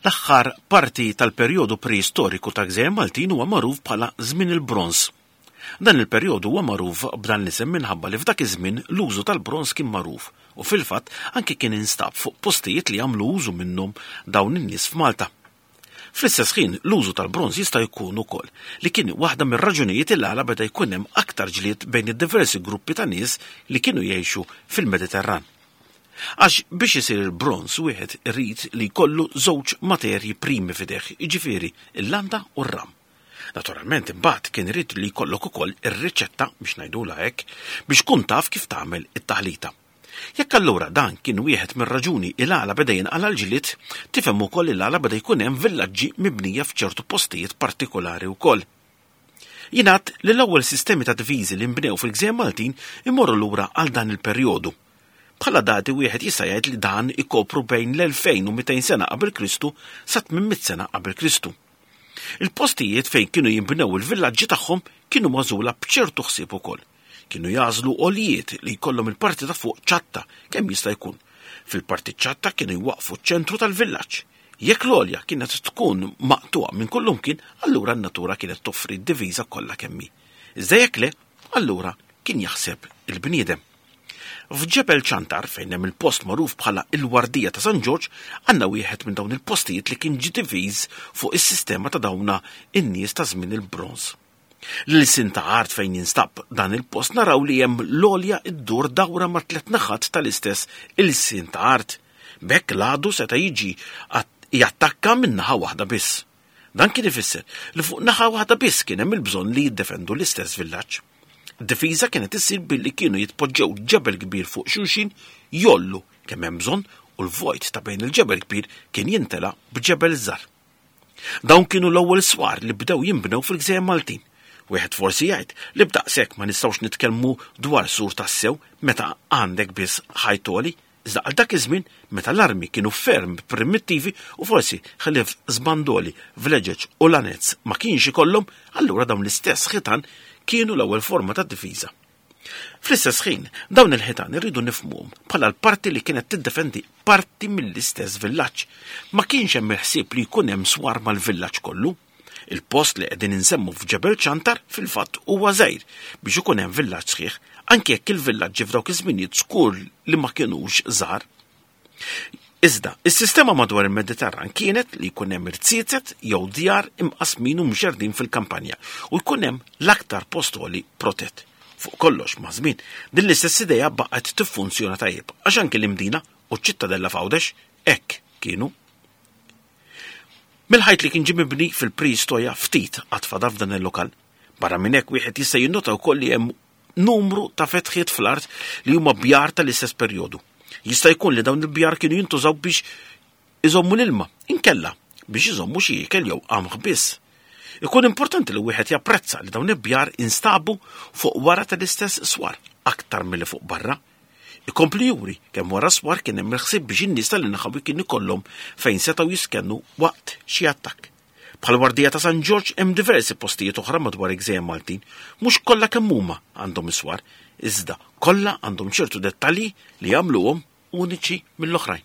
L-aħħar parti tal-perjodu preistoriku ta' Gżejjer Maltin huwa magħruf bħala Żmien il-Bronż. Dan il-perjodu huwa magħruf b'dan l-isem minħabba li f'dak iż-żmien l-użu tal-bronż kien magħruf u fil-fatt anki kien instab fuq postijiet li għamlu użu minnhom dawn in-nies f'Malta. Fl-istess ħin, l-użu tal-bronż jista' jkun ukoll li kien waħda mir-raġunijiet il għala beda jkun hemm aktar ġlied bejn id-diversi gruppi ta' nies li kienu jgħixu fil-Mediterran. Għax biex isir il-bronż wieħed irid li jkollu żewġ materji primi f'idejh, jiġifieri l-landa u r-ram. Naturalment imbagħad kien irid li jkollok ukoll ir-riċetta biex ngħidulha hekk biex tkun taf kif tagħmel it-taħlita. Jekk allura dan kien wieħed mir-raġuni il-għala beda jinqala' l-ġlied, tifhem ukoll il-għala beda jkun hemm villaġġi mibnija f'ċertu postijiet partikolari wkoll. Jingħad li l-ewwel sistemi ta' diviżi li nbnew fil-gżejjer Maltin imorru lura għal dan il-perjodu. Bħala dati wieħed jista' jgħid li dan ikopru bejn l-2200 sena qabel Kristu sa 800 sena qabel Kristu. Il-postijiet fejn kienu jinbnew il-villaġġi tagħhom kienu magħżula b'ċertu ħsieb ukoll. Kienu jagħżlu għoljiet li jkollhom il-parti ta' fuq ċatta kemm jista' jkun. Fil-parti ċatta kienu jwaqqfu ċ-ċentru tal-villaġġ. Jekk l-għolja kienet tkun maqtugħa minn kullumkien, allura n-natura kienet toffri d-diviża kollha kemm hi. Iżda jekk le, allura kien jaħseb il-bniedem. F'Ġebel Ċantar, fejn hemm il-post magħruf bħala il-Wardija ta' San Ġorġ, għandna wieħed minn dawn il-postijiet li kien ġie diviż fuq is-sistema ta' dawna in-nies ta' żmien il-bronż. L-ilsien ta' art fejn jinstab dan il-post naraw li hemm l-għolja ddur dawra ma' tliet naħat tal-istess ilsien ta' art. B'hekk l-għadu seta' jiġi jattakka minn naħa waħda biss. Dan kien ifisser li fuq naħa waħda biss kien hemm il-bżonn li jiddefendu l-istess villaġġ. Difiża kienet issir billi kienu jitpoġġew ġebel kbir fuq xulxin jollu kemm hemm bżonn u l-vojt ta' bejn il-ġebel kbir kien jintela b'ġebel żgħar. Dawn kienu l-ewwel swar li bdew jinbnew fil-gżejjer Maltin. Wieħed forsi jgħid li b'daqshekk ma nistgħux nitkellmu dwar sur tassew meta għandek biss ħajt għoli, iżda għal dak iż-żmien meta l-armi kienu ferm primittivi u forsi ħlief żbandoli, vleġeġ u lanez ma kienx ikollhom, allura dawn l-istess ħitan kienu l-ewwel forma ta' difiża. Fl-istess ħin, dawn il-ħitan irridu nifhmuhom bħala l-parti li kienet tiddefendi parti mill-istess villaġġ. Ma kienx hemm il-ħsieb li jkun hemm swar mal-villaġġ kollu. Il-post li qegħdin insemmu f'Ġebel Ċantar fil-fatt huwa żgħir biex ikun hemm villaġġ sħiħ, anke jekk il-villaġġi f'dawk iż-żminijiet żgur li ma kinux żgħar. Iżda, is-sistema madwar il-Mediterran kienet li jkun hemm irziezet jew djar imqasmin u mxerrdin fil-kampanja u jkun hemm l-aktar post għoli protett. Fuq kollox, maż-żmien, din l-istess idea baqgħet tiffunzjona tajjeb għax anki l-Imdina u ċ-Ċittadella f'Għawdex hekk kienu. Mill-ħajt li kien ġie mibni fil-preistoja ftit għad fadal f'dan il-lokal. Barra minn hekk wieħed jista' jinnota wkoll li hemm numru ta' fetħiet fl-art li huma bjar tal-istess perjodu. Jista' jkun li dawn il-bjar kienu jintużaw biex iżommu l-ilma, inkella biex iżommu xi ikel jew qamħ biss. Ikun importanti li wieħed japprezza li dawn il-bjar instabu fuq wara tal-istess swar aktar milli fuq barra. Ikompli juri kemm wara swar kien hemm il-ħsieb biex in-nies tal-inħawi kien ikollhom fejn setgħu jiskennu waqt xi attakk. Bħall-Wardija ta' San Ġorġ hemm diversi postijiet oħra madwar il-gżejjer Maltin. Mhux kollha kemm huma għandhom is-swar, iżda kollha għandhom ċertu dettalji li jagħmluhom uniċi mill-oħrajn.